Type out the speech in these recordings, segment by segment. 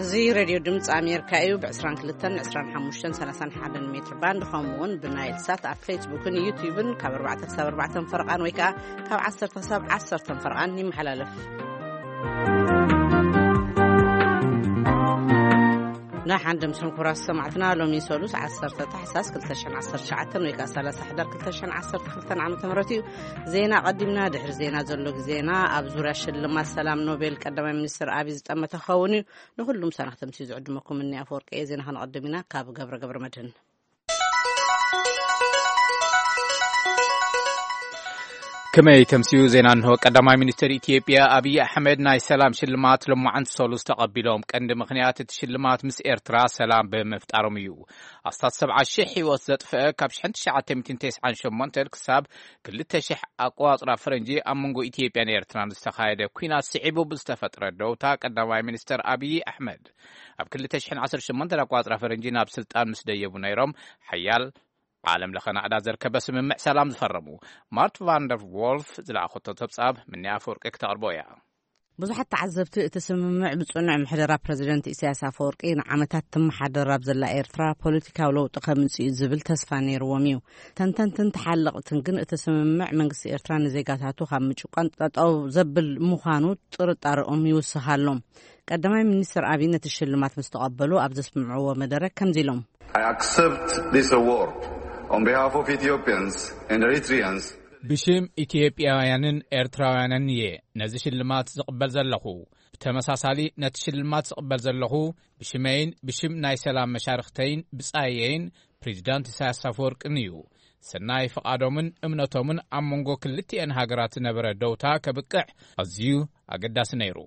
እዚ ሬድዮ ድምፂ ኣሜሪካ እዩ። ብ22፣ 25፣ 31 ሜትር ባንድ፣ ከምኡ እውን ብናይል ሳት ኣብ ፌስቡክን ዩቲዩብን ካብ ኣርባዕተ ክሳብ ኣርባዕተ ፈረቓን ወይ ከዓ ካብ ዓሰርተ ክሳብ ዓሰርተ ፈረቓን ይመሓላለፍ። ንሓንድም ሰንኩራ ሰማዕትና፣ ሎሚ ሰሉስ ዓሰርተ ታሕሳስ ክልተ ሽሕን ዓሰርተ ትሽዓተን ወይ ከዓ ሰላሳ ሕዳር ክልተ ሽሕን ዓሰርተ ክልተን ዓመተ ምህረት እዩ። ዜና ቀዲምና፣ ድሕሪ ዜና ዘሎ ግዜና ኣብ ዙርያ ሽልማት ሰላም ኖቤል ቀዳማይ ሚኒስትር ኣብይ ዝጠመተ ክኸውን እዩ። ንኹሉም ሳናኽ ተምሲኡ ዝዕድመኩም እኒ ኣፈወርቂ እየ። ዜና ከነቐድም ኢና ካብ ገብረ ገብረ መድህን። ከመይ ተምሲኡ ዜና እንሆ። ቀዳማይ ሚኒስትር ኢትዮጵያ ኣብይ ኣሕመድ ናይ ሰላም ሽልማት ሎማዓንቲ ሰሉስ ተቐቢሎም። ቀንዲ ምኽንያት እቲ ሽልማት ምስ ኤርትራ ሰላም ብምፍጣሮም እዩ። ኣስታት ሰብዓ ሺሕ ህይወት ዘጥፍአ ካብ ሽሕን ትሽዓተ ሚእትን ተስዓን ሸሞንተን ክሳብ ክልተ ሺሕ ኣቆጻጽራ ፈረንጂ ኣብ መንጎ ኢትዮጵያን ኤርትራን ዝተኻየደ ኲናት ስዒቡ ብዝተፈጥረ ደውታ ቀዳማይ ሚኒስትር ኣብይ ኣሕመድ ኣብ ክልተ ሽሕን ዓሰርተ ሸሞንተን ኣቆጻጽራ ፈረንጂ ናብ ስልጣን ምስ ደየቡ ነይሮም ሓያል ዓለም ለኸ ናእዳ ዘርከበ ስምምዕ ሰላም ዝፈረሙ። ማርት ቫንደር ዎልፍ ዝለኣኸቶ ጸብጻብ ምኒ ኣፈወርቂ ክተቕርቦ እያ። ብዙሓት ተዓዘብቲ እቲ ስምምዕ ብጽኑዕ ምሕደራ ፕረዚደንት ኢሳያስ ኣፈወርቂ ንዓመታት ትመሓደር ኣብ ዘላ ኤርትራ ፖለቲካዊ ለውጢ ከምጽእ እዩ ዝብል ተስፋ ነይርዎም እዩ። ተንተንትን ተሓለቕትን ግን እቲ ስምምዕ መንግስቲ ኤርትራ ንዜጋታቱ ካብ ምጭቋን ጠጠው ዘብል ምዃኑ ጥርጣረኦም ይውስኽ ኣሎ። ቀዳማይ ሚኒስትር ኣብይ ነቲ ሽልማት ምስ ተቐበሉ ኣብ ዘስምዕዎ መደረ ከምዚ ኢሎም። I accept this award on behalf of Ethiopians and Eritreans. ብሽም ኢትዮጵያውያንን ኤርትራውያንን እየ ነዚ ሽልማት ዝቕበል ዘለኹ። ብተመሳሳሊ ነቲ ሽልማት ዝቕበል ዘለኹ ብሽመይን ብሽም ናይ ሰላም መሻርኽተይን ብጻየይን ፕሬዚዳንት ኢሳያስ ኣፈወርቅን እዩ። ሰናይ ፍቓዶምን እምነቶምን ኣብ መንጎ ክልቲኤን ሃገራት ዝነበረ ደውታ ከብቅዕ ኣዝዩ ኣገዳሲ ነይሩ።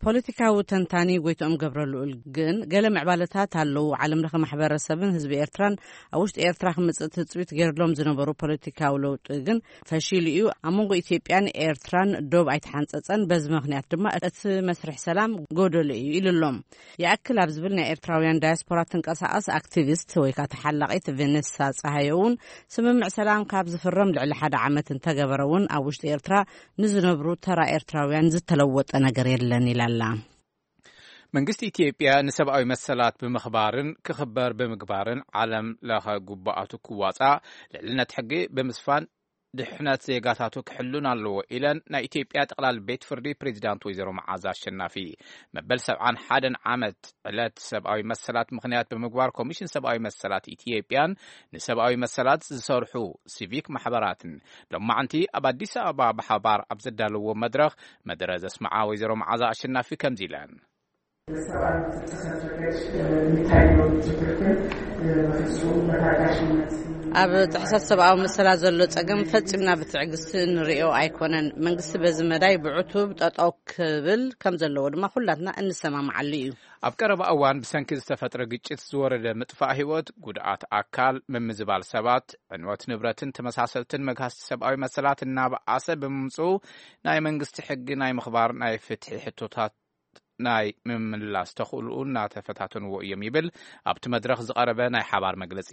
ፖለቲካዊ ተንታኒ ጎይትኦም ገብረልኡል ግን ገለ ምዕባለታት ኣለዉ። ዓለም ለኸ ማሕበረሰብን ህዝቢ ኤርትራን ኣብ ውሽጢ ኤርትራ ክምጽእ ትጽቢት ገይርሎም ዝነበሩ ፖለቲካዊ ለውጢ ግን ፈሺሉ እዩ። ኣብ መንጎ ኢትዮጵያን ኤርትራን ዶብ ኣይተሓንጸጸን። በዚ ምኽንያት ድማ እቲ መስርሕ ሰላም ጎደሎ እዩ ኢሉ ኣሎ። ይኣክል ኣብ ዝብል ናይ ኤርትራውያን ዳያስፖራ ትንቀሳቐስ ኣክቲቪስት ወይ ከዓ ተሓላቒት ቬኔሳ ጸሃየ እውን ስምምዕ ሰላም ካብ ዝፍረም ልዕሊ ሓደ ዓመት እንተገበረ እውን ኣብ ውሽጢ ኤርትራ ንዝነብሩ ተራ ኤርትራውያን ዝተለወጠ ነገር የለን ኢላ ኣላ። መንግስቲ ኢትዮጵያ ንሰብኣዊ መሰላት ብምኽባርን ክኽበር ብምግባርን ዓለም ለኸ ጉባኣቱ ክዋፃእ ልዕልነት ሕጊ ብምስፋን ድሕነት ዜጋታቱ ክሕሉን ኣለዎ ኢለን ናይ ኢትዮጵያ ጠቕላሊ ቤት ፍርዲ ፕሬዚዳንት ወይዘሮ መዓዛ ኣሸናፊ። መበል ሰብዓን ሓደን ዓመት ዕለት ሰብኣዊ መሰላት ምኽንያት ብምግባር ኮሚሽን ሰብኣዊ መሰላት ኢትዮጵያን ንሰብኣዊ መሰላት ዝሰርሑ ሲቪክ ማሕበራትን ሎማዕንቲ ኣብ ኣዲስ ኣበባ ብሓባር ኣብ ዘዳለዎ መድረኽ መደረ ዘስምዓ ወይዘሮ መዓዛ ኣሸናፊ ከምዚ ኢለን። ሰብኣዊ ጥሰት ረገድ የሚታየውን ችግር ግን በፍጹም በታጋሽነት ኣብ ጥሕሰት ሰብኣዊ መሰላት ዘሎ ጸገም ፈጺምና ብትዕግስቲ እንርእዮ ኣይኮነን። መንግስቲ በዚ መዳይ ብዕቱብ ጠጠው ክብል ከም ዘለዎ ድማ ኩላትና እንሰማማዓሉ እዩ። ኣብ ቀረባ እዋን ብሰንኪ ዝተፈጥረ ግጭት ዝወረደ ምጥፋእ ህይወት፣ ጉድኣት ኣካል፣ ምምዝባል ሰባት፣ ዕንወት ንብረትን ተመሳሰልትን መግሃስቲ ሰብኣዊ መሰላት እናበኣሰ ብምምፅኡ ናይ መንግስቲ ሕጊ ናይ ምኽባር ናይ ፍትሒ ሕቶታት ናይ ምምላስ ተኽእልኡ እናተፈታተንዎ እዮም ይብል ኣብቲ መድረኽ ዝቐረበ ናይ ሓባር መግለጺ።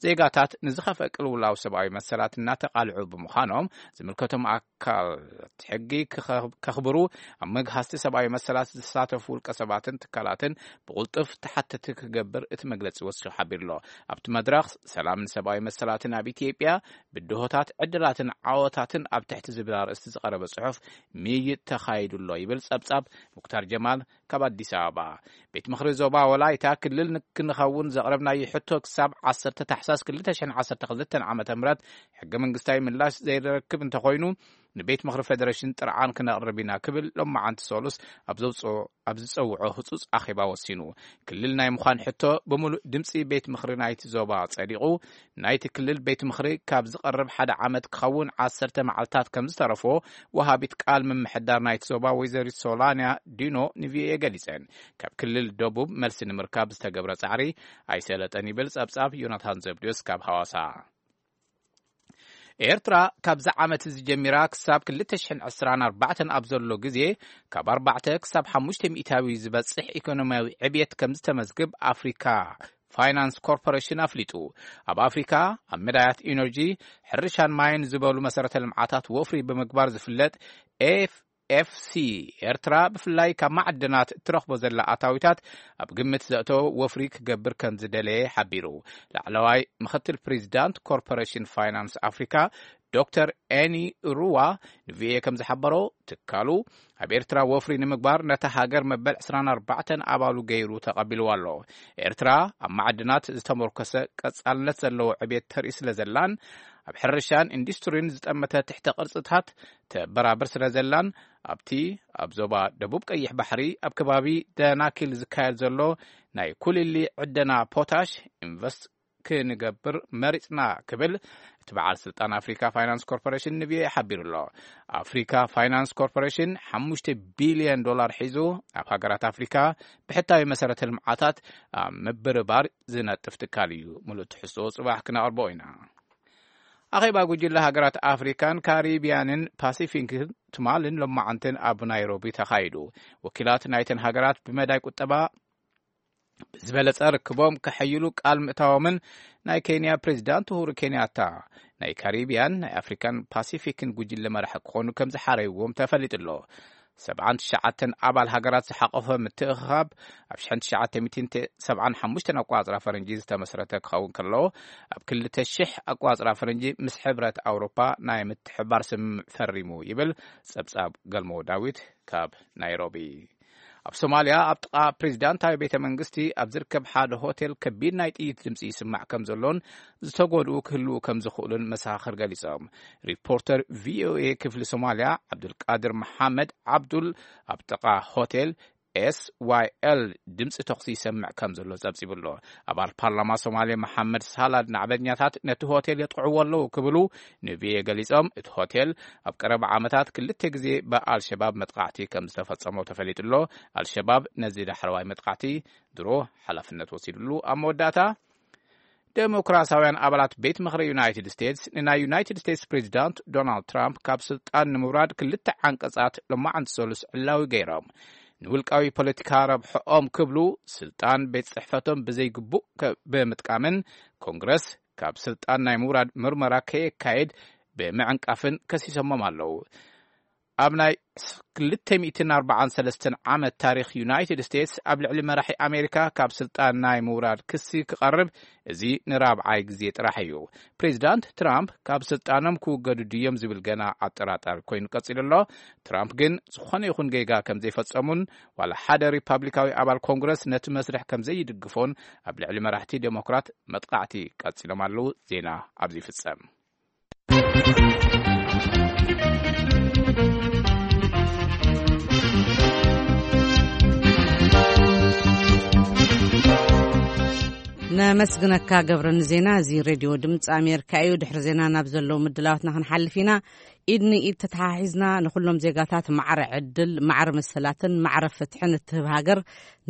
ዜጋታት ንዝኸፍአ ቅልውላው ሰብኣዊ መሰላት እናተቓልዑ ብምዃኖም ዝምልከቶም ኣካላት ሕጊ ክኸ-፣ ከኽብሩ ኣብ መግሃስቲ ሰብኣዊ መሰላት ዝተሳተፉ ውልቀ ሰባትን ትካላትን ብቕልጡፍ ተሓተቲ ክገብር እቲ መግለጺ ወሲኹ ሓቢሩ ኣሎ። ኣብቲ መድረኽ ሰላምን ሰብኣዊ መሰላትን ኣብ ኢትዮጵያ ብድሆታት ዕድላትን ዓወታትን ኣብ ትሕቲ ዝብል ኣርእስቲ ዝቐረበ ጽሑፍ ምይይጥ ተኻይዱ ኣሎ ይብል ጸብጻብ ሙክታር ጀማል ካብ ኣዲስ ኣበባ። ቤት ምኽሪ ዞባ ወላይታ ክልል ንክንኸውን ዘቕረብናዮ ሕቶ ክሳብ ዓሰርተ ታሕሳስ ክልተ ሽሕን ዓሰርተ ክልተን ዓመተ ምህረት ሕገ መንግስታዊ ምላሽ ዘይረክብ እንተኾይኑ ንቤት ምኽሪ ፌደሬሽን ጥርዓን ክነቕርብ ኢና ክብል ሎማዓንቲ ሰሉስ ኣብ ዘውፅኦ፣ ኣብ ዝፀውዖ ህፁፅ ኣኼባ ወሲኑ። ክልል ናይ ምዃን ሕቶ ብምሉእ ድምፂ ቤት ምኽሪ ናይቲ ዞባ ጸዲቑ ናይቲ ክልል ቤት ምኽሪ ካብ ዝቐርብ ሓደ ዓመት ክኸውን ዓሰርተ መዓልታት ከም ዝተረፎ ወሃቢት ቃል ምምሕዳር ናይቲ ዞባ ወይዘሪት ሶላንያ ዲኖ ንቪኦኤ ገሊጸን። ካብ ክልል ደቡብ መልሲ ንምርካብ ዝተገብረ ጻዕሪ ኣይሰለጠን ይብል ጸብጻብ ዮናታን ዘብድዮስ ካብ ሃዋሳ። ኤርትራ ካብዚ ዓመት እዚ ጀሚራ ክሳብ ክልተ ሽሕን ዕስራን ኣርባዕተን ኣብ ዘሎ ግዜ ካብ ኣርባዕተ ክሳብ ሓሙሽተ ሚእታዊ ዝበጽሕ ኢኮኖሚያዊ ዕብየት ከም ዝተመዝግብ ኣፍሪካ ፋይናንስ ኮርፖሬሽን ኣፍሊጡ። ኣብ ኣፍሪካ ኣብ መዳያት ኢነርጂ፣ ሕርሻን ማይን ዝበሉ መሰረተ ልምዓታት ወፍሪ ብምግባር ዝፍለጥ ኤፍ ኤፍሲ፣ ኤርትራ ብፍላይ ካብ ማዕድናት እትረኽቦ ዘላ ኣታዊታት ኣብ ግምት ዘእተወ ወፍሪ ክገብር ከም ዝደለየ ሓቢሩ። ላዕለዋይ ምኽትል ፕሬዚዳንት ኮርፖሬሽን ፋይናንስ ኣፍሪካ ዶክተር ኤኒ ሩዋ ንቪኦኤ ከም ዝሓበሮ፣ ትካሉ ኣብ ኤርትራ ወፍሪ ንምግባር ነታ ሃገር መበል ዕስራን ኣርባዕተን ኣባሉ ገይሩ ተቐቢልዋ ኣሎ። ኤርትራ ኣብ ማዕድናት ዝተመርኮሰ ቀጻልነት ዘለዎ ዕቤት ተርኢ ስለ ዘላን ኣብ ሕርሻን ኢንዱስትሪን ዝጠመተ ትሕተ ቅርጽታት ተበራብር ስለ ዘላን፣ ኣብቲ ኣብ ዞባ ደቡብ ቀይሕ ባሕሪ ኣብ ከባቢ ደናኪል ዝካየድ ዘሎ ናይ ኩልሊ ዕደና ፖታሽ ኢንቨስት ክንገብር መሪጽና ክብል እቲ በዓል ስልጣን ኣፍሪካ ፋይናንስ ኮርፖሬሽን ንቪኦኤ ሓቢሩ ኣሎ። ኣፍሪካ ፋይናንስ ኮርፖሬሽን ሓሙሽተ ቢልዮን ዶላር ሒዙ ኣብ ሃገራት ኣፍሪካ ብሕታዊ መሰረተ ልምዓታት ኣብ ምብርባር ዝነጥፍ ትካል እዩ። ምሉእ ትሕዝቶ ጽባሕ ክነቕርቦ ኢና። ኣኼባ ጉጅለ ሃገራት ኣፍሪካን ካሪቢያንን ፓሲፊክን ትማልን ሎማዓንትን ኣብ ናይሮቢ ተኻይዱ። ወኪላት ናይተን ሃገራት ብመዳይ ቁጠባ ብዝበለጸ ርክቦም ከሐይሉ ቃል ምእታዎምን ናይ ኬንያ ፕሬዚዳንት ኡሁሩ ኬንያታ ናይ ካሪቢያን ናይ ኣፍሪካን ፓሲፊክን ጉጅለ መራሒ ክኾኑ ከም ዝሓረይዎም ተፈሊጡ ኣሎ። ሰብዓን ትሽዓተን ኣባል ሃገራት ዝሓቆፈ ምትእኽኻብ ኣብ ሽሕን ትሽዓተ ሚእትን ሰብዓን ሓሙሽተን ኣቋጽራ ፈረንጂ ዝተመስረተ ክኸውን ከሎ፣ ኣብ ክልተ ሽሕ ኣቋጽራ ፈረንጂ ምስ ሕብረት ኣውሮፓ ናይ ምትሕባር ስምምዕ ፈሪሙ ይብል ጸብጻብ ገልሞ ዳዊት ካብ ናይሮቢ። ኣብ ሶማልያ ኣብ ጥቓ ፕሬዚዳንታዊ ቤተ መንግስቲ ኣብ ዝርከብ ሓደ ሆቴል ከቢድ ናይ ጥይት ድምፂ ይስማዕ ከም ዘሎን ዝተጎድኡ ክህልዉ ከም ዝኽእሉን መሰኻኽር ገሊጾም። ሪፖርተር ቪኦኤ ክፍሊ ሶማልያ ዓብዱልቃድር መሓመድ ዓብዱል ኣብ ጥቓ ሆቴል ኤስዋይኤል ድምፂ ተኹሲ ይሰምዕ ከም ዘሎ ጸብጺቡ ኣሎ። ኣባል ፓርላማ ሶማሌ መሓመድ ሳላድ ናዕበኛታት ነቲ ሆቴል የጥቕዕዎ ኣለዉ ክብሉ ንቪኦኤ ገሊጾም። እቲ ሆቴል ኣብ ቀረባ ዓመታት ክልተ ግዜ ብኣልሸባብ መጥቃዕቲ ከም ዝተፈጸሞ ተፈሊጡ ኣሎ። ኣልሸባብ ነዚ ዳሕረዋይ መጥቃዕቲ ድሮ ሓላፍነት ወሲድሉ። ኣብ መወዳእታ፣ ዴሞክራሲያውያን ኣባላት ቤት ምኽሪ ዩናይትድ ስቴትስ ንናይ ዩናይትድ ስቴትስ ፕሬዚዳንት ዶናልድ ትራምፕ ካብ ስልጣን ንምውራድ ክልተ ዓንቀጻት ሎማዓንቲ ሰሉስ ዕላዊ ገይሮም። ንውልቃዊ ፖለቲካ ረብሕኦም ክብሉ ስልጣን ቤት ጽሕፈቶም ብዘይግቡእ ከ-፣ ብምጥቃምን ኮንግረስ ካብ ስልጣን ናይ ምውራድ ምርመራ ከየካየድ ብምዕንቃፍን ከሲሶሞም ኣለዉ። ኣብ ናይ ክልተ ሚእትን ኣርባዓን ሰለስተን ዓመት ታሪኽ ዩናይትድ ስቴትስ ኣብ ልዕሊ መራሒ ኣሜሪካ ካብ ስልጣን ናይ ምውራድ ክሲ ክቐርብ እዚ ንራብዓይ ግዜ ጥራሕ እዩ። ፕሬዚዳንት ትራምፕ ካብ ስልጣኖም ክውገዱ ድዮም ዝብል ገና ኣጠራጣሪ ኮይኑ ቀጺሉ ኣሎ። ትራምፕ ግን ዝኾነ ይኹን ጌጋ ከም ዘይፈጸሙን ዋላ ሓደ ሪፓብሊካዊ ኣባል ኮንግረስ ነቲ መስርሕ ከም ዘይድግፎን ኣብ ልዕሊ መራሕቲ ዴሞክራት መጥቃዕቲ ቀጺሎም ኣለዉ። ዜና ኣብዚ ይፍጸም። ነመስግነካ ገብረ ንዜና። እዚ ሬድዮ ድምፂ ኣሜሪካ እዩ። ድሕሪ ዜና ናብ ዘለዉ ምድላዋትና ክንሓልፍ ኢና። ኢድ ንኢድ ተተሓሒዝና ንኩሎም ዜጋታት ማዕረ ዕድል፣ ማዕረ መሰላትን ማዕረ ፍትሕን እትህብ ሃገር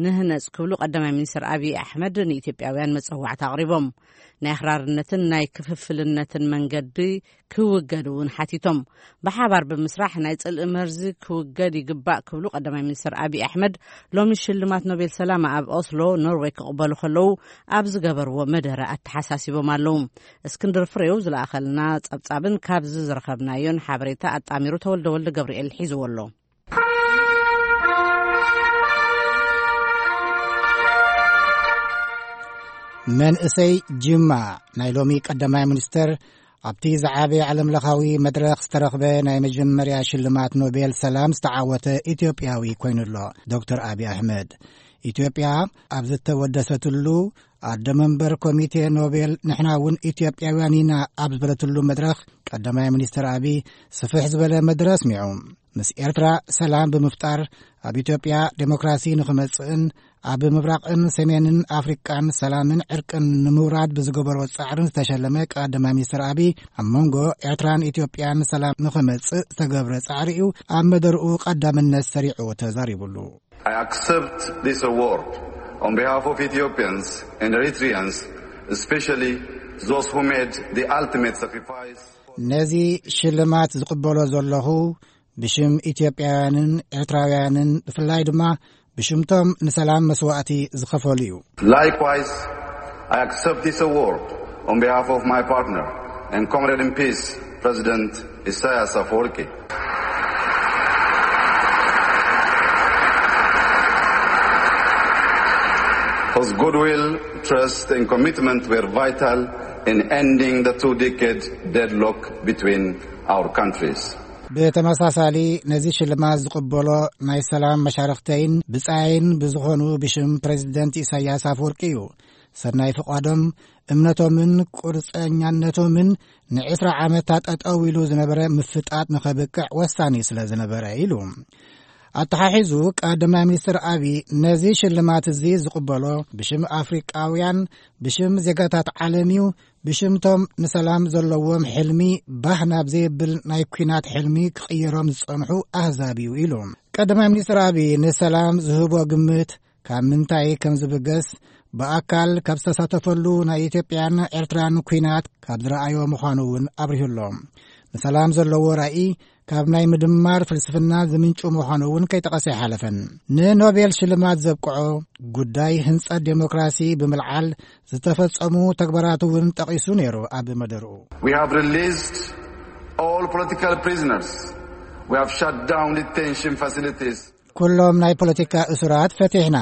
ንህነፅ ክብሉ ቀዳማይ ሚኒስትር ኣብይ ኣሕመድ ንኢትዮጵያውያን መፀዋዕታ ኣቕሪቦም። ናይ ኣኽራርነትን ናይ ክፍፍልነትን መንገዲ ክውገድ እውን ሓቲቶም። ብሓባር ብምስራሕ ናይ ጽልኢ መርዚ ክውገድ ይግባእ ክብሉ ቀዳማይ ሚኒስትር ኣብይ ኣሕመድ ሎሚ ሽልማት ኖቤል ሰላም ኣብ ኦስሎ ኖርዌይ ክቕበሉ ከለዉ ኣብ ዝገበርዎ መደረ ኣተሓሳሲቦም ኣለዉ። እስክንድር ፍሬው ዝለኣኸልና ጸብጻብን ካብዚ ዝረኸብናዮን ሓበሬታ ኣጣሚሩ ተወልደ ወልደ ገብርኤል ሒዝዎ ኣሎ። መንእሰይ ጅማ ናይ ሎሚ ቀዳማይ ሚኒስተር ኣብቲ ዝዓበየ ዓለምለኻዊ መድረኽ ዝተረኽበ ናይ መጀመርያ ሽልማት ኖቤል ሰላም ዝተዓወተ ኢትዮጵያዊ ኮይኑ ኣሎ። ዶክተር ኣብይ ኣሕመድ ኢትዮጵያ ኣብ ዝተወደሰትሉ ኣደ መንበር ኮሚቴ ኖቤል ንሕና እውን ኢትዮጵያውያን ኢና ኣብ ዝበለትሉ መድረኽ ቀዳማይ ሚኒስተር ኣብይ ስፍሕ ዝበለ መደረ ኣስሚዑ። ምስ ኤርትራ ሰላም ብምፍጣር ኣብ ኢትዮጵያ ዴሞክራሲ ንኽመጽእን ኣብ ምብራቕን ሰሜንን ኣፍሪቃን ሰላምን ዕርቅን ንምውራድ ብዝገበሮ ጻዕርን ዝተሸለመ ቀዳማይ ሚኒስትር ኣብይ ኣብ መንጎ ኤርትራን ኢትዮጵያን ሰላም ንኽመጽእ ዝተገብረ ጻዕሪ እዩ ኣብ መደርኡ ቀዳምነት ሰሪዑ ተዛሪቡሉ። I accept this award on behalf of Ethiopians and Eritreans, especially those who made the ultimate sacrifice. ነዚ ሽልማት ዝቕበሎ ዘለኹ ብሽም ኢትዮጵያውያንን ኤርትራውያንን ብፍላይ ድማ ብሽምቶም ንሰላም መስዋእቲ ዝኸፈሉ እዩ። Likewise, I accept this award on behalf of my partner and comrade in peace, President Isaias Afwerki. His goodwill, trust, and commitment were vital in ending the two-decade deadlock between our countries. ብተመሳሳሊ፣ ነዚ ሽልማት ዝቕበሎ ናይ ሰላም መሻርኽተይን ብጻይን ብዝኾኑ ብሽም ፕሬዚደንት ኢሳያስ ኣፈወርቂ እዩ። ሰናይ ፍቓዶም፣ እምነቶምን ቁርጸኛነቶምን ንዕስራ ዓመታት ጠጠው ኢሉ ዝነበረ ምፍጣጥ ንኸብቅዕ ወሳኒ ስለ ዝነበረ ኢሉ። ኣተሓሒዙ፣ ቀዳማይ ሚኒስትር ኣቢ ነዚ ሽልማት እዚ ዝቕበሎ ብሽም ኣፍሪቃውያን፣ ብሽም ዜጋታት ዓለም እዩ፣ ብሽምቶም ንሰላም ዘለዎም ሕልሚ ባህ ናብ ዘይብል ናይ ኲናት ሕልሚ ክቕይሮም ዝጸንሑ ኣህዛብ እዩ ኢሉ። ቀዳማይ ሚኒስትር ኣቢ ንሰላም ዝህቦ ግምት ካብ ምንታይ ከም ዝብገስ፣ ብኣካል ካብ ዝተሳተፈሉ ናይ ኢትዮጵያን ኤርትራን ኲናት ካብ ዝረኣዮ ምዃኑ እውን ኣብሪሁ ኣሎ። ንሰላም ዘለዎ ራኢ ካብ ናይ ምድማር ፍልስፍና ዝምንጩ ምዃኑ እውን ከይጠቐሰ ኣይሓለፈን። ንኖቤል ሽልማት ዘብቅዖ ጉዳይ ህንጸት ዴሞክራሲ ብምልዓል ዝተፈጸሙ ተግባራት እውን ጠቒሱ ነይሩ። ኣብ መደርኡ We have released all political prisoners. We have shut down detention facilities. ኩሎም ናይ ፖለቲካ እሱራት ፈቲሕና፣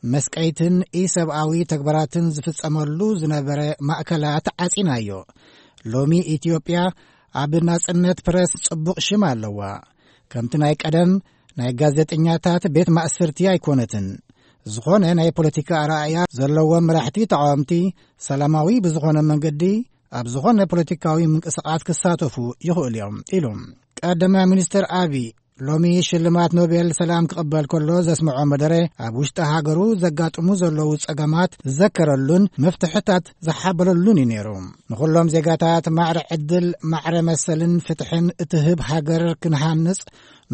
መስቀይትን ኢሰብኣዊ ተግባራትን ዝፍጸመሉ ዝነበረ ማእከላት ዓጺናዮ። ሎሚ ኢትዮጵያ ኣብ ናጽነት ፕረስ ጽቡቕ ሽም ኣለዋ። ከምቲ ናይ ቀደም ናይ ጋዜጠኛታት ቤት ማእስርቲ ኣይኮነትን። ዝኾነ ናይ ፖለቲካ ኣረኣእያ ዘለዎም መራሕቲ ተቓወምቲ ሰላማዊ ብዝኾነ መንገዲ ኣብ ዝኾነ ፖለቲካዊ ምንቅስቓስ ክሳተፉ ይኽእሉ እዮም ኢሉ። ቀዳማይ ሚኒስትር ኣቢ ሎሚ ሽልማት ኖቤል ሰላም ክቕበል ከሎ ዘስምዖ መደረ፣ ኣብ ውሽጢ ሃገሩ ዘጋጥሙ ዘለዉ ጸገማት ዝዘከረሉን መፍትሕታት ዝሓበረሉን እዩ ነይሩ። ንኹሎም ዜጋታት ማዕረ ዕድል፣ ማዕረ መሰልን ፍትሕን እትህብ ሃገር ክንሃንጽ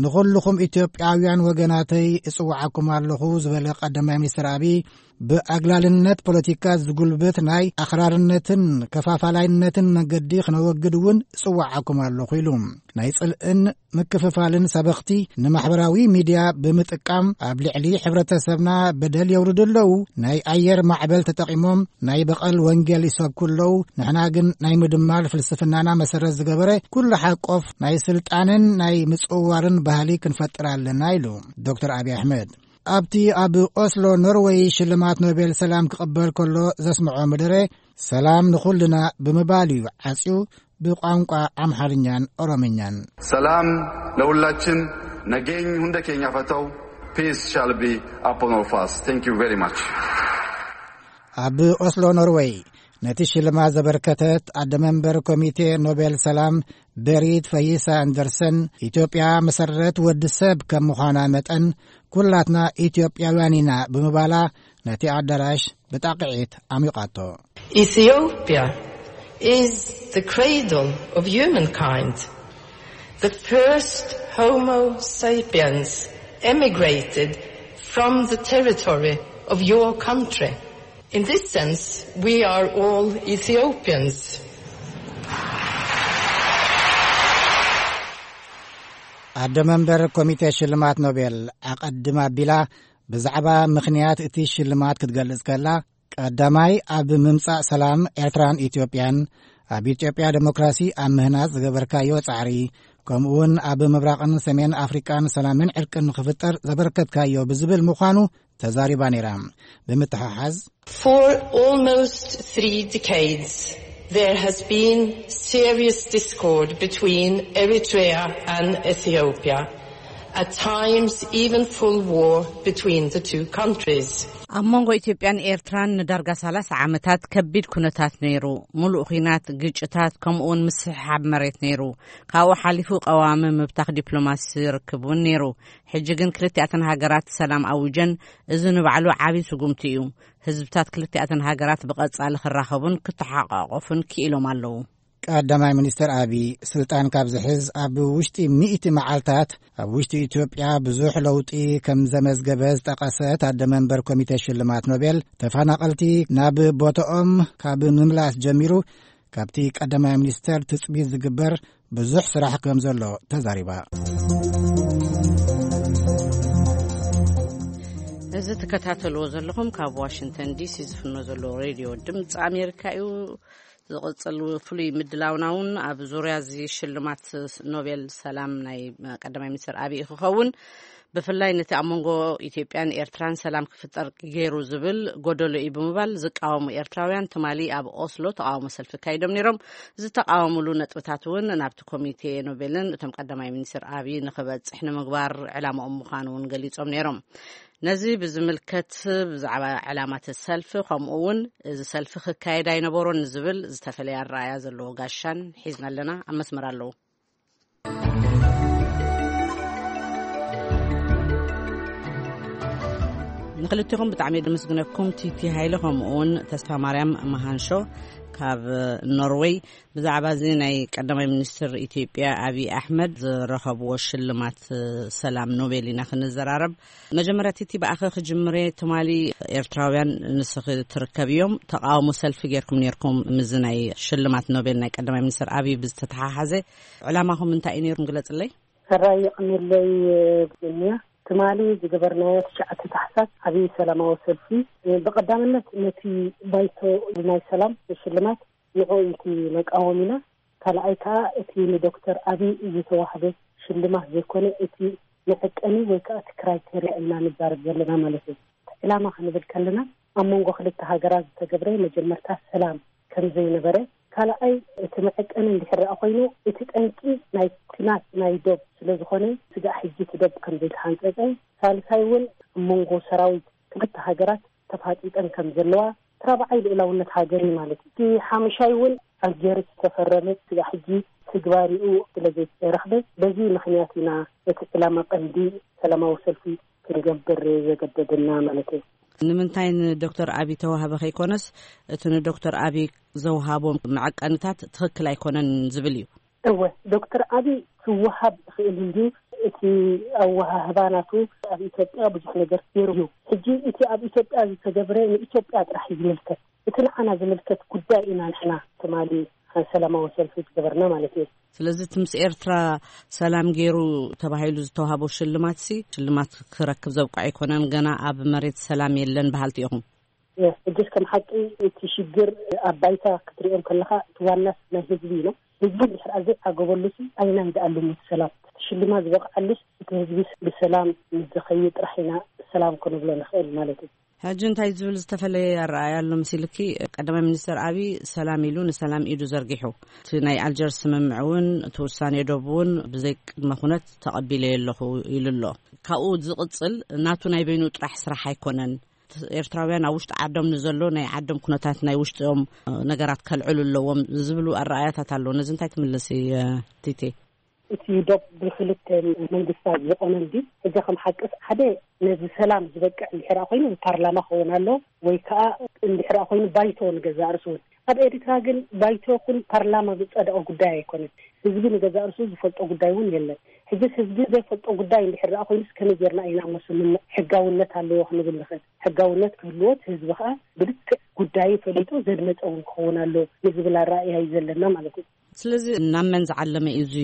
ንኹልኹም ኢትዮጵያውያን ወገናተይ እጽውዓኩም ኣለኹ ዝበለ ቀዳማይ ሚኒስትር ኣቢ፣ ብኣግላልነት ፖለቲካ ዝጉልብት ናይ ኣኽራርነትን ከፋፋላይነትን መንገዲ ክነወግድ እውን እጽውዓኩም ኣለኹ ኢሉ። ናይ ጽልእን ምክፍፋልን ሰበኽቲ ንማሕበራዊ ሚድያ ብምጥቃም ኣብ ልዕሊ ሕብረተሰብና በደል የውርዱ ኣለዉ። ናይ ኣየር ማዕበል ተጠቒሞም ናይ በቐል ወንጌል ይሰብኩ ኣለዉ። ንሕና ግን ናይ ምድማር ፍልስፍናና መሰረት ዝገበረ ኩሉ ሓቆፍ ናይ ስልጣንን ናይ ምጽውዋርን ባህሊ ክንፈጥር ኣለና ኢሉ ዶክተር ኣብይ ኣሕመድ። ኣብቲ ኣብ ኦስሎ ኖርወይ ሽልማት ኖቤል ሰላም ክቕበል ከሎ ዘስምዖ መደረ፣ ሰላም ንኹልና ብምባል እዩ ዓጽዩ ብቋንቋ ኣምሓርኛን ኦሮምኛን። ሰላም ለሁላችን፣ nageeny hunda keenya haa ta'u, peace shall be upon all of us. Thank you very much. ኣብ ኦስሎ ኖርወይ ነቲ ሽልማት ዘበርከተት ኣደ መንበር ኮሚቴ ኖቤል ሰላም ቤሪት ፈይሳ ኣንደርሰን፣ ኢትዮጵያ መሰረት ወዲ ሰብ ከም ምዃና መጠን ኩላትና ኢትዮጵያውያን ኢና ብምባላ ነቲ ኣዳራሽ ብጣቕዒት ኣሚቓቶ። Ethiopia is the cradle of humankind. The first Homo sapiens emigrated from the territory of your country. In this sense, we are all Ethiopians. ኣደ መንበር ኮሚቴ ሽልማት ኖቤል ኣቐድም ኣቢላ ብዛዕባ ምኽንያት እቲ ሽልማት ክትገልጽ ከላ፣ ቀዳማይ ኣብ ምምጻእ ሰላም ኤርትራን ኢትዮጵያን፣ ኣብ ኢትዮጵያ ዴሞክራሲ ኣብ ምህናጽ ዝገበርካዮ ጻዕሪ፣ ከምኡውን ኣብ ምብራቕን ሰሜን ኣፍሪቃን ሰላምን ዕርቅን ንኽፍጠር ዘበርከትካዮ ብዝብል ምዃኑ ተዛሪባ ነይራ። ብምትሕሓዝ፣ For almost three decades, there has been serious discord between Eritrea and Ethiopia, at times even full war between the two countries. ኣብ መንጎ ኢትዮጵያን ኤርትራን ንዳርጋ ሰላሳ ዓመታት ከቢድ ኩነታት ነይሩ። ምሉእ ኹናት፣ ግጭታት፣ ከምኡውን ምስሕሓብ መሬት ነይሩ። ካብኡ ሓሊፉ ቀዋሚ ምብታኽ ዲፕሎማሲ ርክብ እውን ነይሩ። ሕጂ ግን ክልቲኣተን ሃገራት ሰላም ኣዊጀን፣ እዚ ንባዕሉ ዓቢ ስጉምቲ እዩ። ህዝብታት ክልቲኣተን ሃገራት ብቐጻሊ ክራኸቡን ክተሓቋቆፉን ክኢሎም ኣለዉ። ቀዳማይ ሚኒስትር ኣቢ ስልጣን ካብ ዝሕዝ ኣብ ውሽጢ ሚእቲ መዓልታት ኣብ ውሽጢ ኢትዮጵያ ብዙሕ ለውጢ ከም ዘመዝገበ ዝጠቐሰት ኣደ መንበር ኮሚቴ ሽልማት ኖቤል፣ ተፈናቐልቲ ናብ ቦታኦም ካብ ምምላስ ጀሚሩ ካብቲ ቀዳማይ ሚኒስተር ትጽቢት ዝግበር ብዙሕ ስራሕ ከም ዘሎ ተዛሪባ። እዚ ትከታተልዎ ዘለኹም ካብ ዋሽንግተን ዲሲ ዝፍኖ ዘሎ ሬድዮ ድምፂ ኣሜሪካ እዩ። ዝቕጽል ፍሉይ ምድላውና እውን ኣብ ዙርያ እዚ ሽልማት ኖቤል ሰላም ናይ ቀዳማይ ሚኒስትር ኣቢይ ክኸውን፣ ብፍላይ ነቲ ኣብ መንጎ ኢትዮጵያን ኤርትራን ሰላም ክፍጠር ገይሩ ዝብል ጎደሎ እዩ ብምባል ዝቃወሙ ኤርትራውያን ትማሊ ኣብ ኦስሎ ተቃውሞ ሰልፊ ካይዶም ነይሮም። ዝተቃወሙሉ ነጥብታት እውን ናብቲ ኮሚቴ ኖቤልን እቶም ቀዳማይ ሚኒስትር ኣቢይ ንክበጽሕ ንምግባር ዕላማኦም ምዃኑ እውን ገሊጾም ነይሮም። ነዚ ብዝምልከት ብዛዕባ ዕላማት ሰልፊ ከምኡ እውን እዚ ሰልፊ ክካየድ ኣይነበሮን ዝብል ዝተፈለየ ኣረኣያ ዘለዎ ጋሻን ሒዝና ኣለና። ኣብ መስመር ኣለዉ። ንክልቲኹም ብጣዕሚ ደመስግነኩም፣ ቲቲ ሃይለ ከምኡ እውን ተስፋ ማርያም መሃንሾ ካብ ኖርወይ። ብዛዕባ እዚ ናይ ቀዳማይ ሚኒስትር ኢትዮጵያ ኣቢይ ኣሕመድ ዝረኸብዎ ሽልማት ሰላም ኖቤል ኢና ክንዘራረብ። መጀመርያ ቲቲ ብኣኸ ክጅምሬ፣ ትማሊ ኤርትራውያን ንስኺ ትርከብ እዮም፣ ተቃውሞ ሰልፊ ጌርኩም ኔርኩም ምዚ ናይ ሽልማት ኖቤል ናይ ቀዳማይ ሚኒስትር ኣቢይ ብዝተተሓሓዘ ዕላማኹም እንታይ እዩ ኔርኩም ግለጽለይ? ሰራይ ይቕንለይ። ብንያ ትማሊ ዝገበርናዮ ትሽዓተ ታሕሳስ ዓብዪ ሰላማዊ ሰልፊ፣ ብቐዳምነት ነቲ ባይቶ ናይ ሰላም ሽልማት ንዕኡ እቲ መቃወሚና፣ ካልኣይ ከኣ እቲ ንዶክተር ኣቢይ ዝተዋህበ ሽልማት ዘይኮነ እቲ መዐቀኒ ወይ ከኣ እቲ ክራይቴርያ ኢና ንዛረብ ዘለና ማለት እዩ። ዕላማ ክንብል ከለና ኣብ መንጎ ክልተ ሃገራት ዝተገብረ መጀመርታ ሰላም ከም ዘይነበረ፣ ካልኣይ እቲ መዐቀኒ እንድሕር ደኣ ኮይኑ እቲ ጠንቂ ናይ ኩናት ናይ ዶብ ስለ ዝኾነ ስጋዕ ሕጂ እቲ ዶብ ከም ዘይተሓንጸጸ፣ ሳልሳይ እውን ኣብ መንጎ ሰራዊት ክልተ ሃገራት ተፋጢጠን ከም ዘለዋ፣ እቲ ራብዓይ ልኡላውነት ሃገር እዩ ማለት እዩ። እቲ ሓምሻይ እውን ኣልጀርስ ዝተፈረመ ስጋዕ ሕጂ ትግባሪኡ ስለ ዘይተረኽበ፣ በዚ ምኽንያት ኢና እቲ ዕላማ ቀንዲ ሰላማዊ ሰልፊ ክንገብር ዘገደደና ማለት እዩ። ንምንታይ ንዶክተር ኣቢ ተዋህበ ከይኮነስ እቲ ንዶክተር ኣቢ ዘውሃቦም መዐቀንታት ትኽክል ኣይኮነን ዝብል እዩ። እወ፣ ዶክተር ኣቢ ክወሃብ ይኽእል እዩ። እቲ ኣወሃህባ ናቱ ኣብ ኢትዮጵያ ብዙሕ ነገር ገይሩ እዩ። ሕጂ እቲ ኣብ ኢትዮጵያ ዝተገብረ ንኢትዮጵያ ጥራሕ እዩ ዝምልከት። እቲ ንዓና ዝምልከት ጉዳይ ኢና ንሕና ትማሊ ሰላማዊ ሰልፊ ዝገበርና ማለት እዩ። ስለዚ እቲ ምስ ኤርትራ ሰላም ገይሩ ተባሂሉ ዝተዋህቦ ሽልማት ሲ ሽልማት ክረክብ ዘብቅዖ ኣይኮነን። ገና ኣብ መሬት ሰላም የለን በሃልቲ ኢኹም። ሕጅስ ከም ሓቂ እቲ ሽግር ኣብ ባይታ ክትሪኦም ከለኻ እቲ ዋናስ ናይ ህዝቢ እዩ። ህዝቢ እንድሕር ዘይዓገበሉ ሲ ኣይናይ ደኣሉ ምስ ሰላም እቲ ሽልማት ዝበቕዓሉስ እቲ ህዝቢ ብሰላም ምስ ዝኸይድ ጥራሕ ኢና ሰላም ክንብሎ ንኽእል ማለት እዩ። ሕጂ እንታይ ዝብል ዝተፈለየ ኣረኣእያ ኣሎ መሲልኪ? ቀዳማይ ሚኒስትር ኣቢ ሰላም ኢሉ ንሰላም ኢዱ ዘርጊሑ፣ እቲ ናይ ኣልጀርስ ስምምዕ እውን እቲ ውሳኔ ዶብ እውን ብዘይ ቅድመ ኩነት ተቐቢለዮ ኣለኹ ኢሉ ኣሎ። ካብኡ ዝቕጽል ናቱ ናይ በይኑ ጥራሕ ስራሕ ኣይኮነን። ኤርትራውያን ኣብ ውሽጢ ዓዶም ንዘሎ ናይ ዓዶም ኩነታት ናይ ውሽጦም ነገራት ከልዕሉ ኣለዎም ዝብሉ ኣረኣያታት ኣሎ። ነዚ እንታይ ትምልሲ ቲቲ? እቲ ዶብ ብክልተ መንግስታት ዝቆመ እንዲ ሕጂ ከም ሓቅስ ሓደ ነዚ ሰላም ዝበቅዕ እንድሕር ኮይኑ ብፓርላማ ክኸውን ኣሎ ወይ ከዓ እንድሕር ኮይኑ ባይቶ ንገዛእ ርእሱ እውን። ኣብ ኤርትራ ግን ባይቶ ኩን ፓርላማ ዝጸደቐ ጉዳይ ኣይኮነን። ህዝቢ ንገዛእ ርእሱ ዝፈልጦ ጉዳይ እውን የለን። ሕጅስ ህዝቢ ዘይፈልጦ ጉዳይ እንድሕር ደኣ ኮይኑስ ከመይ ጌርና ኢና እሞ ስምምዕ ሕጋውነት ኣለዎ ክንብል ንኽእል? ሕጋውነት ክህልዎ እቲ ህዝቢ ከዓ ብልክዕ ጉዳዩ ፈሊጡ ዘድመፀ እውን ክኸውን ኣሎ ንዝብል ኣረኣእያ እዩ ዘለና ማለት እዩ። ስለዚ ናብ መን ዝዓለመ እዩ እዚ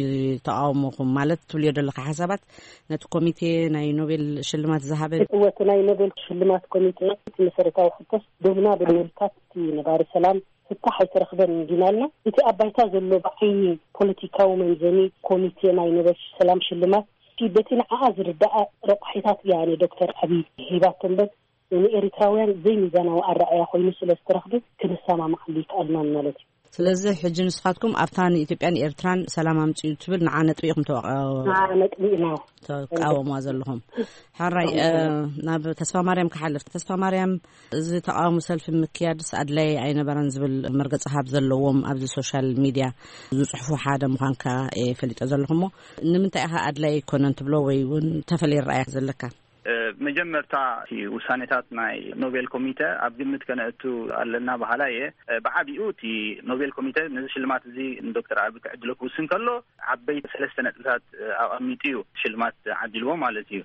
ተቃውሞኹም? ማለት ትብልዮ ዘለካ ሓሳባት ነቲ ኮሚቴ ናይ ኖቤል ሽልማት ዝሃበ? እወ፣ እቲ ናይ ኖቤል ሽልማት ኮሚቴ እቲ መሰረታዊ ሕቶስ ዶብና ብምምልካት እቲ ነባሪ ሰላም ፍታሕ ኣይተረኽበን እንዲና ኣለና። እቲ ኣብ ባይታ ዘሎ ብዓይኒ ፖለቲካዊ መምዘኒ ኮሚቴ ናይ ኖቤል ሰላም ሽልማት እቲ በቲ ንዓኣ ዝርዳኣ ረቋሒታት እያ ንዶክተር ኣቢይ ሂባቶ እምበር ንኤሪትራውያን ዘይሚዛናዊ ኣረኣእያ ኮይኑ ስለ ዝተረኽበ ክንሰማማዓሉ ይከኣልናን ማለት እዩ። ስለዚ ሕጂ ንስኻትኩም ኣብታ ንኢትዮጵያን ኤርትራን ሰላም ኣምፅኡ ትብል ንዓ ነጥቢ ኢኹም ተወ- ንዓ ነጥቢ ኢና ተቃወምዋ ዘለኹም። ሕራይ፣ እ፣ ናብ ተስፋ ማርያም ክሓልፍ። ተስፋ ማርያም፣ እዚ ተቃውሞ ሰልፊ ምክያድስ ኣድላይ ኣይነበረን ዝብል መርገፂ ሃብ ዘለዎም ኣብዚ ሶሻል ሚድያ ዝፅሕፉ ሓደ ምዃንካ እየ ፈሊጠ ዘለኹ እሞ፣ ንምንታይ ኢኻ ኣድላይ ኣይኮነን ትብሎ ወይ እውን ተፈለየ ረኣያ ዘለካ? እ፣ መጀመርታ እቲ ውሳኔታት ናይ ኖቤል ኮሚተ ኣብ ግምት ከነእቱ ኣለና በሃላይ እየ። እ፣ ብዓቢኡ እቲ ኖቤል ኮሚተ ነዚ ሽልማት እዚ ንዶክተር ኣቢ ክዕድሎ ክውስን ከሎ ዓበይቲ ሰለስተ ነጥብታት፣ እ፣ ኣቐሚጡ እዩ ሽልማት ዓዲልዎ ማለት እዩ።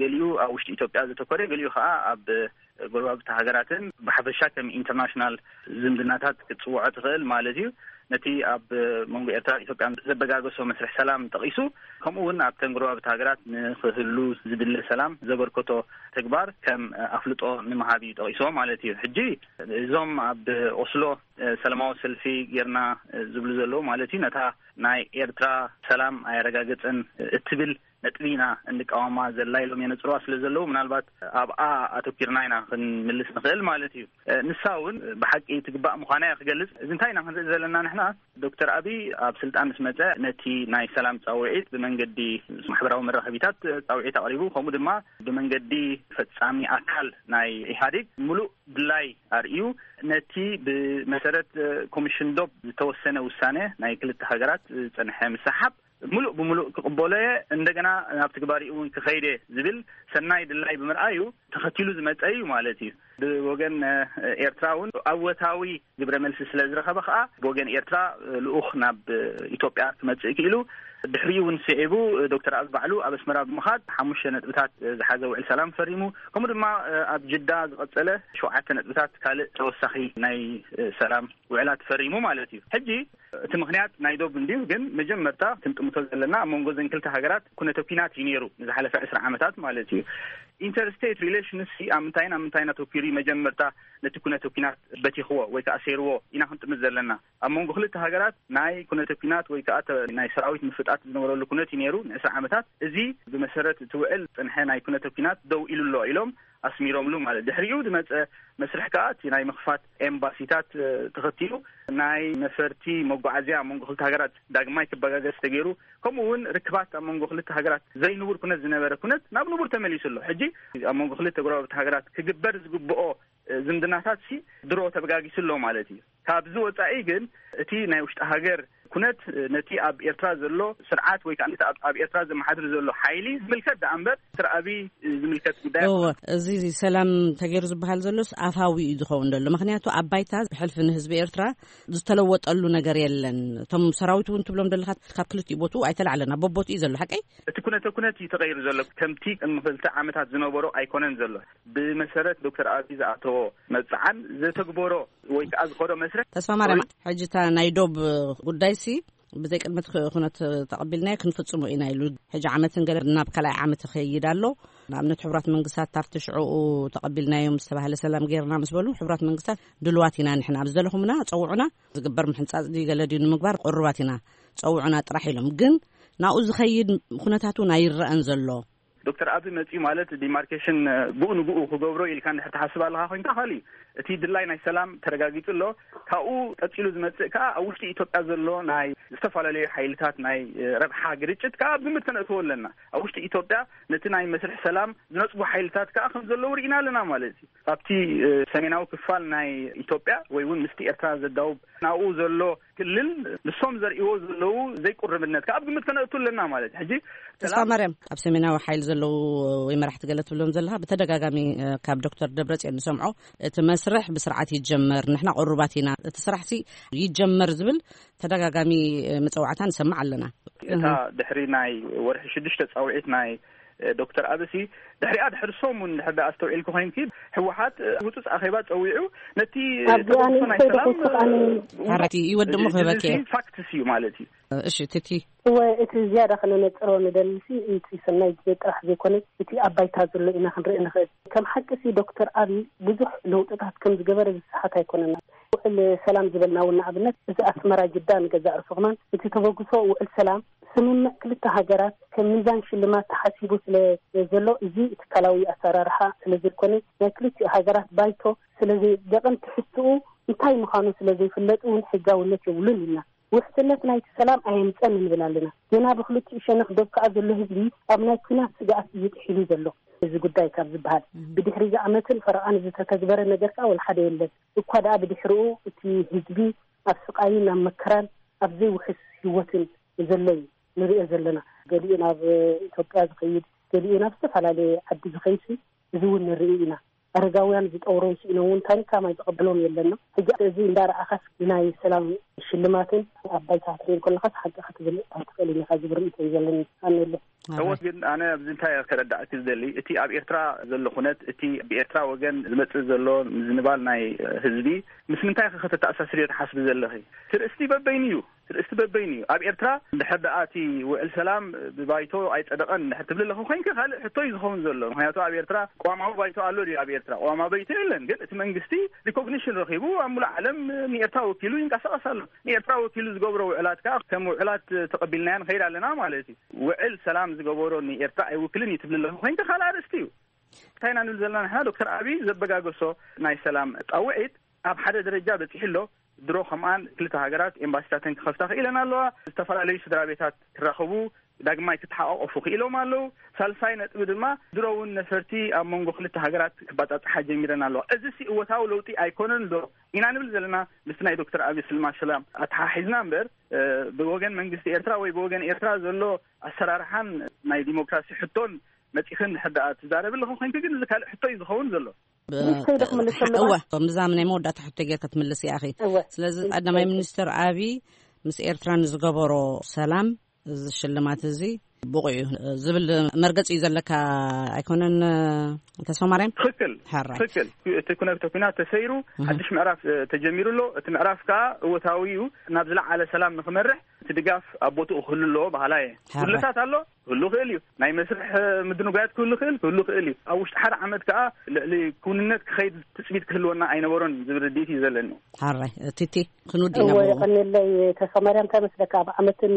ገሊኡ ኣብ ውሽጢ ኢትዮጵያ ዘተኮረ፣ ገሊኡ ከዓ ኣብ ጎረባብቲ ሃገራትን ብሓፈሻ ከም ኢንተርናሽናል ዝምድናታት ክትጽውዖ ትኽእል ማለት እዩ። ነቲ ኣብ መንጎ ኤርትራን ኢትዮጵያን ዘበጋገሶ መስርሕ ሰላም ጠቒሱ፣ ከምኡ እውን ኣብተን ጎረባብቲ ሃገራት ንኽህሉ ዝድለ ሰላም ዘበርከቶ ተግባር ከም ኣፍልጦ ንምሃብ እዩ ጠቒስዎ ማለት እዩ። ሕጂ እዞም ኣብ ኦስሎ ሰላማዊ ሰልፊ ጌርና ዝብሉ ዘለዉ ማለት እዩ፣ ነታ ናይ ኤርትራ ሰላም ኣየረጋገጸን እትብል ነጥቢ ኢና እንቃወማ ዘላ ኢሎም የነጽርዋ ስለ ዘለዉ፣ ምናልባት ኣብኣ ኣተኪርና ኢና ክንምልስ ንኽእል ማለት እዩ። ንሳ እውን ብሓቂ ትግባእ ምዃና እያ ክገልጽ። እዚ እንታይ ኢና ክንርኢ ዘለና ንሕና? ዶክተር ኣብይ ኣብ ስልጣን ምስ መጸ ነቲ ናይ ሰላም ጻውዒት ብመንገዲ ማሕበራዊ መራኸቢታት ጻውዒት ኣቕሪቡ፣ ከምኡ ድማ ብመንገዲ ፈጻሚ ኣካል ናይ ኢህኣዴግ ምሉእ ድላይ ኣርእዩ፣ ነቲ ብመሰረት ኮሚሽን ዶብ ዝተወሰነ ውሳነ ናይ ክልተ ሃገራት ዝጸንሐ ምስሓብ ምሉእ ብምሉእ ክቕበሎ እየ፣ እንደገና ናብ ትግባሪኡ እውን ክኸይድ እየ ዝብል ሰናይ ድላይ ብምርኣዩ ተኸቲሉ ዝመጸ እዩ ማለት እዩ። ብወገን ኤርትራ እውን ኣወታዊ ግብረ መልሲ ስለ ዝረኸበ ከዓ ብወገን ኤርትራ ልኡኽ ናብ ኢትዮጵያ ክመጽእ ክኢሉ። ድሕሪኡ እውን ስዒቡ ዶክተር ኣብይ ባዕሉ ኣብ ኣስመራ ብምኻድ ሓሙሽተ ነጥብታት ዝሓዘ ውዕል ሰላም ፈሪሙ። ከምኡ ድማ ኣብ ጅዳ ዝቐጸለ ሸውዓተ ነጥብታት ካልእ ተወሳኺ ናይ ሰላም ውዕላት ፈሪሙ ማለት እዩ። ሕጂ እቲ ምኽንያት ናይ ዶብ እንድዩ፣ ግን መጀመርታ ክንጥምቶ ዘለና ኣብ መንጎ ዘን ክልተ ሃገራት ኩነተ ኲናት እዩ ነይሩ ንዝሓለፈ ዕስራ ዓመታት ማለት እዩ። ኢንተርስቴት ሪሌሽንስ ኣብ ምንታይን ኣብ ምንታይን ኣተኲሩ እዩ? መጀመርታ ነቲ ኩነተ ኲናት በቲኽዎ ወይ ከዓ ኣሰይርዎ ኢና ክንጥምት ዘለና። ኣብ መንጎ ክልተ ሃገራት ናይ ኩነተ ኲናት ወይ ከዓ ተ-፣ ናይ ሰራዊት ምፍጣት ዝነበረሉ ኩነት እዩ ነይሩ ንዕስራ ዓመታት። እዚ ብመሰረት እቲ ውዕል ዝጸንሐ ናይ ኩነተ ኲናት ደው ኢሉ ኣሎ ኢሎም ኣስሚሮምሉ ማለት። ድሕሪኡ ዝመጸ መስርሕ ከዓ እቲ ናይ ምኽፋት ኤምባሲታት ተኸቲሉ ናይ ነፈርቲ መጓዓዝያ ኣብ መንጎ ክልተ ሃገራት ዳግማይ ክበጋገስ ተገይሩ። ከምኡ እውን ርክባት ኣብ መንጎ ክልተ ሃገራት ዘይንቡር ኩነት ዝነበረ ኩነት ናብ ንቡር ተመሊሱ ኣሎ። ሕጂ ኣብ መንጎ ክልተ ጎረባብቲ ሃገራት ክግበር ዝግብኦ ዝምድናታት ሲ ድሮ ተበጋጊሱ ኣሎ ማለት እዩ። ካብዚ ወጻኢ ግን እቲ ናይ ውሽጢ ሃገር ኩነት ነቲ ኣብ ኤርትራ ዘሎ ስርዓት ወይ ከዓ ነቲ ኣብ፣ ኣብ ኤርትራ ዘመሓድር ዘሎ ሓይሊ ዝምልከት ደኣ እምበር፣ ዶክተር ኣብይ ዝምልከት ጉዳይ እወ፣ ኣይኮነን። እዚ ሰላም ተገይሩ ዝበሃል ዘሎስ ኣፋዊ እዩ ዝኸውን ዘሎ። ምኽንያቱ ኣብ ባይታ ብሕልፊ ንህዝቢ ኤርትራ ዝተለወጠሉ ነገር የለን። እቶም ሰራዊት እውን ትብሎም ዘለኻ ካብ ክልቲኡ ቦትኡ ኣይተላዕለን፣ ኣብ በቦትኡ እዩ ዘሎ። ሓቀይ? እቲ ኩነተ ኩነት እዩ ተቐይሩ ዘሎ። ከምቲ ቅድሚ ክልተ ዓመታት ዝነበሮ ኣይኮነን ዘሎ። ብመሰረት ዶክተር ኣብይ ዝኣተዎ መብጽዓን ዘተግበሮ ወይ ከዓ ዝኸዶ መስርሕ ተስፋ ማርያም፣ ወይ ሕጂ እታ ናይ ዶብ ጉዳይሲ ብዘይ ቅድመ ት-፣ ኩነት ተቐቢልናዮ ክንፍጽሞ ኢና ኢሉ። ሕጂ ዓመትን ገለ ናብ ካልኣይ ዓመት ይኸይድ ኣሎ። ንኣብነት ሕቡራት መንግስታት ኣብቲ ሽዑኡ ተቐቢልናዮም ዝተባህለ ሰላም ጌርና ምስ በሉ፣ ሕቡራት መንግስታት ድልዋት ኢና ንሕና፣ ኣብ ዝደለኹምና ጸውዑና፣ ዝግበር ምሕንጻጽ ድዩ ገለ ድዩ ንምግባር ቅሩባት ኢና፣ ጸውዑና ጥራሕ ኢሎም። ግን ናብኡ ዝኸይድ ኩነታት እውን ኣይረኣን ዘሎ። ዶክተር ኣብይ መጺኡ ማለት ዲማርኬሽን ብኡ ንብኡ ክገብሮ ኢልካ እንድሕር ትሓስብ ኣለኻ ኮይንካ ካልእ እዩ። እቲ ድላይ ናይ ሰላም ተረጋጊጹ ኣሎ። ካብኡ ቀጺሉ ዝመጽእ ከኣ ኣብ ውሽጢ ኢትዮጵያ ዘሎ ናይ ዝተፈላለዩ ሓይልታት ናይ ረብሓ ግርጭት ከኣ ኣብ ግምት ከነእትዎ ኣለና። ኣብ ውሽጢ ኢትዮጵያ ነቲ ናይ መስርሕ ሰላም ዝነጽጉ ሓይልታት ከኣ ከም ዘለዉ ርኢና ኣለና ማለት እዩ። ኣብቲ ሰሜናዊ ክፋል ናይ ኢትዮጵያ ወይ እውን ምስቲ ኤርትራ ዘዳውብ ናብኡ ዘሎ ክልል ንሶም ዘርእዎ ዘለዉ ዘይቁርብነት ከኣ ኣብ ግምት ከነእቱ ኣለና ማለት እዩ። ሕጂ ተስፋ ሰላም ማርያም፣ ኣብ ሰሜናዊ ሓይሊ ዘለዉ ወይ መራሕቲ ገለ ትብሎም ዘለኻ ብተደጋጋሚ፣ እ፣ ካብ ዶክተር ደብረጽዮን ንሰምዖ፣ እቲ መስርሕ ብስርዓት ይጀመር፣ ንሕና ቅሩባት ኢና፣ እቲ ስራሕሲ ይጀመር ዝብል ተደጋጋሚ፣ እ፣ መጸዋዕታ ንሰምዕ ኣለና። እታ እህ። ድሕሪ ናይ ወርሒ ሽዱሽተ ጻውዒት ናይ እ፣ ዶክተር ኣብሲ ድሕሪኣ ድሕሪ ሰሙን ድሕሪ ደኣ ኣስተውዒልኩ ኮይንኪ፣ ህወሓት፣ እ፣ ህጹጽ ኣኼባ ጸዊዑ ነቲ ኣብዚኣ ተበግሶ ናይ ንእሽተይ ሰላም፣ ደቂቕ ኣነ እ፣ ሓራቲ ይወድሙ እ፣ ክህበኪ እዚ እየ። ፋክትስ እዩ ማለት እዩ። እሺ፣ ትቲ። እወ፣ እቲ ዝያዳ ከነነጽሮ ንደልሲ እቲ ሰናይ ግዜ ጥራሕ ዘይኮነ፣ እቲ ኣብ ባይታ ዘሎ ኢና ክንርኢ ንኽእል። ከም ሓቂ ሲ ዶክተር ኣብይ ብዙሕ ለውጥታት ከም ዝገበረ ዝሰሓት ኣይኮነን። ውዕል ሰላም ዝበልና እውን ንኣብነት እዚ ኣስመራ ጅዳ ንገዛእ ርእሱ ከማን እቲ ተበግሶ ውዕል ሰላም ስምምዕ ክልተ ሃገራት ከም ሚዛን ሽልማት ተሓሲቡ ስለ ዘሎ፣ እዚ ትካላዊ ኣሰራርሓ ስለ ዘይኮነ፣ ናይ ክልቲኡ ሃገራት ባይቶ ስለ ዘይ-፣ ደቐን ትሕዝትኡ እንታይ ምዃኑ ስለ ዘይፍለጥ እውን ሕጋውነት የብሉን ኢልና። ውሕስነት ናይቲ ሰላም ኣየምጸን ንብል ኣለና። ገና ብክልቲኡ ሸነኽ ዶብ ከኣ ዘሎ ህዝቢ ኣብ ናይ ኲናት ስግኣት እዩ ጥሒሉ ዘሎ። እዚ ጉዳይ ካብ ዝበሃል፣ እም። ብድሕሪ እዚ ዓመትን ፈረቓን ዝተተግበረ ነገር ከኣ ወላ ሓደ የለን። እኳ ደኣ ብድሕሪኡ እቲ ህዝቢ ኣብ ስቓይን ኣብ መከራን ኣብ ዘይውሕስ ህይወትን ዘሎ እዩ ንሪኦ ዘለና። ገሊኡ ናብ ኢትዮጵያ ዝኸይድ፣ ገሊኡ ናብ ዝተፈላለየ ዓዲ ዝኸይድ፣ እዚ እውን ንርኢ ኢና። ኣረጋውያን ዝጠውሮም ስኢኖም እውን ታኒካ ማይ ዝቐበሎም የለና። ሕጂ እዚ እንዳረኣኻስ ናይ ሰላም ሽልማትን ኣብ ባይታ ክትሪኦ ከለኻስ ሓቂ ክትብል ኣይትኽእልን ኢኻ ዝብል ርእይቶ እዩ ዘለኒ። ኣሜለ። እወት፣ ግን ኣነ ኣብዚ እንታይ ከረዳእኪ ዝደሊ፣ እቲ ኣብ ኤርትራ ዘሎ ኩነት፣ እቲ ብኤርትራ ወገን ዝመጽእ ዘሎ ምዝንባል ናይ ህዝቢ ምስ ምንታይ ከ ከተተኣሳስርዮ ትሓስቢ ዘለኺ? ትርእስቲ በበይኑ እዩ። ትርእስቲ በበይኑ እዩ። ኣብ ኤርትራ እንድሕር ደኣ እቲ ውዕል ሰላም ብባይቶ ኣይጸደቐን እንድሕር ትብሊ ኣለኹ ኮይንኪ፣ ካልእ ሕቶ እዩ ዝኸውን ዘሎ። ምኽንያቱ ኣብ ኤርትራ ቅዋማዊ ባይቶ ኣሎ ድዩ? ኣብ ኤርትራ ቅዋማዊ ባይቶ የለን። ግን እቲ መንግስቲ ሪኮግኒሽን ረኺቡ ኣብ ሙሉእ ዓለም ንኤርትራ ወኪሉ ይንቀሳቐስ ኣሎ። ንኤርትራ ወኪሉ ዝገብሮ ውዕላት ከኣ ከም ውዕላት ተቐቢልናዮ ንኸይድ ኣለና ማለት እዩ። ውዕል ሰላም ዝገበሮ ንኤርትራ ኣይውክልን እዩ ትብሊ ኣለኹ ኮይንኪ፣ ካልእ ኣርእስቲ እዩ። እንታይ ኢና ንብል ዘለና ንሕና? ዶክተር ኣብይ ዘበጋገሶ ናይ ሰላም ጻውዒት ኣብ ሓደ ደረጃ በጺሑ ኣሎ። ድሮ ከምኣን ክልተ ሃገራት ኤምባሲታተን ክኸፍታ ክኢለን ኣለዋ። ዝተፈላለዩ ስድራ ቤታት ክራኸቡ፣ ዳግማይ ክተሓቋቆፉ ክኢሎም ኣለዉ። ሳልሳይ ነጥቢ ድማ ድሮ እውን ነፈርቲ ኣብ መንጎ ክልተ ሃገራት ክባጻጽሓ ጀሚረን ኣለዋ። እዚ ሲ እወታዊ ለውጢ ኣይኮነን ዶ ኢና ንብል ዘለና? ምስቲ ናይ ዶክተር ኣብይ ስልማ ሰላም ኣተሓሒዝና እምበር፣ እ፣ ብወገን መንግስቲ ኤርትራ ወይ ብወገን ኤርትራ ዘሎ ኣሰራርሓን ናይ ዲሞክራሲ ሕቶን መጺኽን ሕዳኣ ትዛረብ ኣለኹ ኮይንኪ፣ ግን እዚ ካልእ ሕቶ እዩ ዝኸውን ዘሎ። ንእሽተይ ዶ ክምልስ ኣለዋ? እወ፣ ምዛም ናይ መወዳእታ ሕቶ ጌርካ ትምልስ ኢኻ። እወ። ስለዚ ቀዳማይ ሚኒስትር ኣብይ ምስ ኤርትራ ንዝገበሮ ሰላም፣ እዚ ሽልማት እዚ ብቑዕ እዩ ዝብል መርገጺ እዩ ዘለካ ኣይኮነን፣ ተስፋ ማርያም? ትኽክል፣ ሕራይ። ትኽክል። እቲ ኩነ-፣ እቲ ኩናት ተሰይሩ፣ እህ። ሓድሽ ምዕራፍ፣ እ፣ ተጀሚሩ ኣሎ። እቲ ምዕራፍ ከኣ እወታዊ እዩ። ናብ ዝለዓለ ሰላም ንኽመርሕ እቲ ድጋፍ ኣብ ቦትኡ ክህሉ ኣለዎ በሃላይ እየ። ሕራይ። ጉድለታት ኣሎ፣ ክህሉ ይኽእል እዩ። ናይ መስርሕ፣ እ፣ ምድንጓያት ክህሉ ይኽእል፣ ክህሉ ይኽእል እዩ። ኣብ ውሽጢ ሓደ ዓመት ከኣ ልዕሊ ክውንነት ክኸይድ ትጽቢት ክህልወና ኣይነበሮን ዝብል ርድኢት እዩ ዘለኒ። ሕራይ። ቲቲ፣ ክንውዲ ኢና እወ፣ ብኡ። የቐንየለይ ተስፋ ማርያም። እንታይ መስለካ፣ ኣብ ዓመትን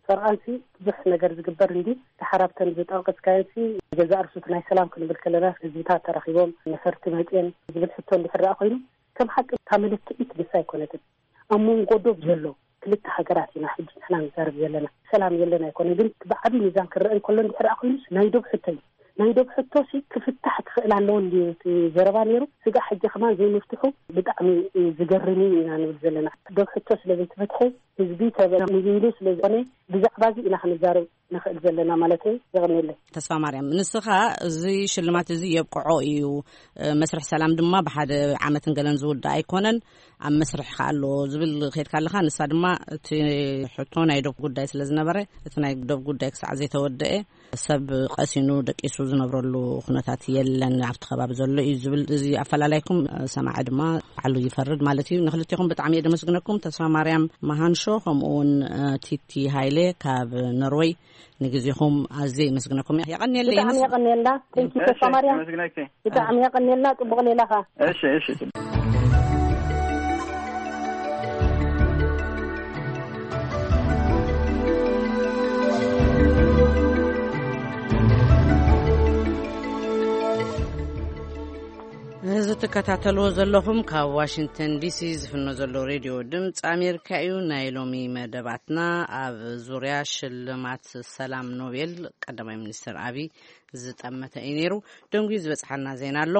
ፈርቓንሲ ብዙሕ ነገር ዝግበር እንዲ፣ ደሓር ኣብተን ዝጠቐስካየንሲ ገዛእ ርእሱ ናይ ሰላም ክንብል ከለና፣ ህዝብታት ተራኺቦም፣ ነፈርቲ መጽየን ዝብል ሕቶ እንድሕር ደኣ ኮይኑ፣ ከም ሓቂ እታ መለክዒት ንሳ ኣይኮነትን። ኣብ መንጎ ዶብ ዘሎ ክልተ ሃገራት ኢና ሕጂ ንሕና ንዛረብ ዘለና። ሰላም የለን ኣይኮነን፣ ግን ብዓቢ ሚዛን ክረአ እንከሎ እንድሕር ደኣ ኮይኑስ ናይ ዶብ ሕቶ እዩ። ናይ ዶብ ሕቶ ሲ ክፍታሕ ክኽእል ኣለዎ እንድዩ እቲ ዘረባ ነይሩ። ስጋዕ ሕጂ ከማን ዘይምፍትሑ ብጣዕሚ እዩ ዝገርም እዩ ኢና ንብል ዘለና። ዶብ ሕቶ ስለ ዘይተፈትሐ ህዝቢ ተበ-፣ ንብይሉ ስለ ዝኾነ ብዛዕባ እዚ ኢና ክንዛረብ ንኽእል ዘለና ማለት እዩ። የቐንየለይ። ተስፋ ማርያም፣ ንስኻ እዚ ሽልማት እዚ የብቅዖ እዩ፣ እ፣ መስርሕ ሰላም ድማ ብሓደ ዓመትን ገለን ዝውዳእ ኣይኮነን፣ ኣብ መስርሕ ከኣ ኣሎ ዝብል ከይድካ ኣለኻ። ንሳ ድማ እቲ ሕቶ ናይ ዶብ ጉዳይ ስለ ዝነበረ፣ እቲ ናይ ዶብ ጉዳይ ክሳዕ ዘይተወደአ ሰብ ቀሲኑ ደቂሱ ዝነብረሉ ኩነታት የለን ኣብቲ ከባቢ ዘሎ እዩ ዝብል፣ እዚ ኣፈላላይኩም ሰማዒ ድማ ባዕሉ ይፈርድ ማለት እዩ። ንክልቴኹም ብጣዕሚ እየ ደመስግነኩም። ተስፋ ማርያም መሃንሾ ከምኡ እውን፣ እ፣ ቲቲ ሃይለ ካብ ኖርወይ፣ ንግዜኹም ኣዝየ ይመስግነኩም። የቐንየለይ። ብጣዕሚ የቐንየልና። Thank you፣ እሺ፣ ተስፋ ማርያም። የመስግነኪ። ብጣዕሚ የቐንየልና። ጽቡቕ ሌላኻ። እሺ፣ እሺ፣ ጽቡቕ። እዚ ትከታተልዎ ዘለኹም ካብ ዋሽንግተን ዲሲ ዝፍኖ ዘሎ ሬድዮ ድምፂ ኣሜሪካ እዩ። ናይ ሎሚ መደባትና ኣብ ዙርያ ሽልማት ሰላም ኖቤል ቀዳማይ ሚኒስትር ኣብይ ዝጠመተ እዩ ነይሩ። ደንጉዩ ዝበፅሓና ዜና ኣሎ።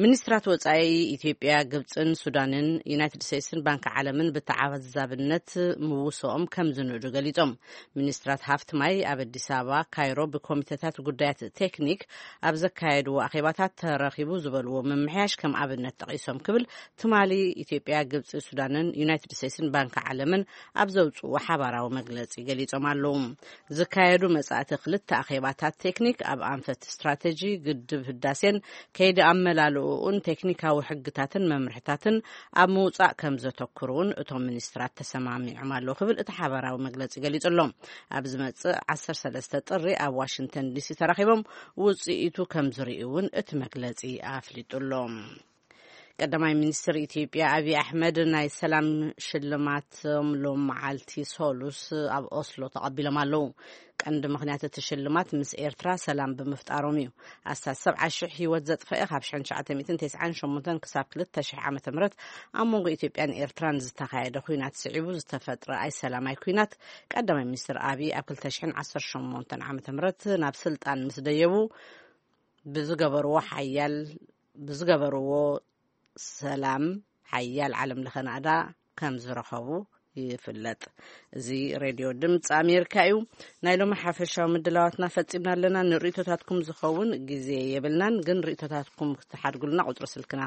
ሚኒስትራት ወፃኢ ኢትዮጵያ፣ ግብፅን ሱዳንን ዩናይትድ ስቴትስን ባንኪ ዓለምን ብተዓዛብነት ምውስኦም ከም ዝንእዱ ገሊፆም። ሚኒስትራት ሃፍቲ ማይ ኣብ ኣዲስ ኣበባ ካይሮ ብኮሚቴታት ጉዳያት ቴክኒክ ኣብ ዘካየድዎ ኣኼባታት ተረኺቡ ዝበልዎ ምምሕያሽ ከም ኣብነት ጠቒሶም ክብል ትማሊ ኢትዮጵያ፣ ግብፂ፣ ሱዳንን ዩናይትድ ስቴትስን ባንኪ ዓለምን ኣብ ዘውፅዎ ሓባራዊ መግለፂ ገሊፆም ኣለዉ። ዝካየዱ መጻእቲ ክልተ ኣኼባታት ቴክኒክ ኣብ ኣንፈት ስትራተጂ ግድብ ህዳሴን ከይዲ ኣመላልኡን ቴክኒካዊ ሕግታትን መምርሕታትን ኣብ ምውጻእ ከም ዘተኩሩ እውን እቶም ሚኒስትራት ተሰማሚዖም ኣለዉ ክብል እቲ ሓባራዊ መግለጺ ገሊጹ ኣሎ። ኣብ ዝመጽእ ዓሰርተ ሰለስተ ጥሪ ኣብ ዋሽንግተን ዲሲ ተራኺቦም ውጽኢቱ ከም ዝርእዩ እውን እቲ መግለጺ ኣፍሊጡ ኣሎ። ቀዳማይ ሚኒስትር ኢትዮጵያ ኣብይ ኣሕመድ ናይ ሰላም ሽልማቶም ሎም መዓልቲ ሶሉስ ኣብ ኦስሎ ተቐቢሎም ኣለዉ። ቀንዲ ምኽንያት እቲ ሽልማት ምስ ኤርትራ ሰላም ብምፍጣሮም እዩ። ኣስታት ሰብዓ ሽሕ ህይወት ዘጥፈአ ካብ ሽሕን ትሽዓተ ሚእትን ተስዓን ሸሞንተን ክሳብ ክልተ ሽሕ ዓመተ ምህረት ኣብ መንጎ ኢትዮጵያን ኤርትራን ዝተኻየደ ኲናት ስዒቡ ዝተፈጥረ ኣይሰላማይ ኲናት ቀዳማይ ሚኒስትር ኣብይ ኣብ ክልተ ሽሕን ዓሰርተ ሸሞንተን ዓመተ ምህረት ናብ ስልጣን ምስ ደየቡ ብዝገበርዎ ሓያል፣ ብዝገበርዎ ሰላም ሓያል ዓለም ለኸ ናእዳ ከም ዝረኸቡ ይፍለጥ። እዚ ሬድዮ ድምፂ ኣሜሪካ እዩ። ናይ ሎሚ ሓፈሻዊ ምድላዋትና ፈፂምና ኣለና። ንርእቶታትኩም ዝኸውን ግዜ የብልናን፣ ግን ርእቶታትኩም ክትሓድጉልና ቁፅሪ ስልክና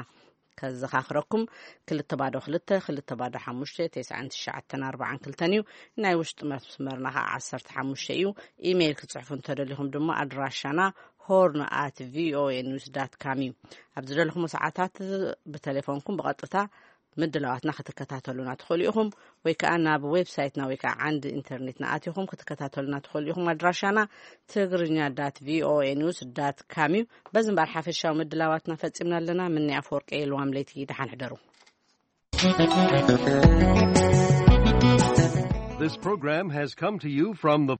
ከዘኻኽረኩም፣ ክልተ ባዶ ክልተ ክልተ ባዶ ሓሙሽተ ተስዓን ትሽዓተን ኣርባዓን ክልተን እዩ። ናይ ውሽጢ መስመርና ከዓ ዓሰርተ ሓሙሽተ እዩ። ኢሜይል ክትፅሕፉ እንተደሊኹም ድማ ኣድራሻና ሆርን ኣት ቪኦኤ ኒውስ ዳት ካም እዩ። ኣብ ዝደለኹም ሰዓታት ብቴሌፎንኩም ብቐጥታ ምድላዋትና ክትከታተሉና ትኽእሉ ኢኹም፣ ወይ ከዓ ናብ ዌብሳይትና ወይ ከዓ ዓንዲ ኢንተርኔትና ኣቲኹም ክትከታተሉና ትኽእሉ ኢኹም። ኣድራሻና ትግርኛ ዳት ቪኦኤ ኒውስ ዳት ካም እዩ። በዚ እምበኣር ሓፈሻዊ ምድላዋትና ፈፂምና ኣለና። ምኒ ኣፈወርቂ የልዋም ለይቲ፣ ደሓን ሕደሩ። This program has come to you from the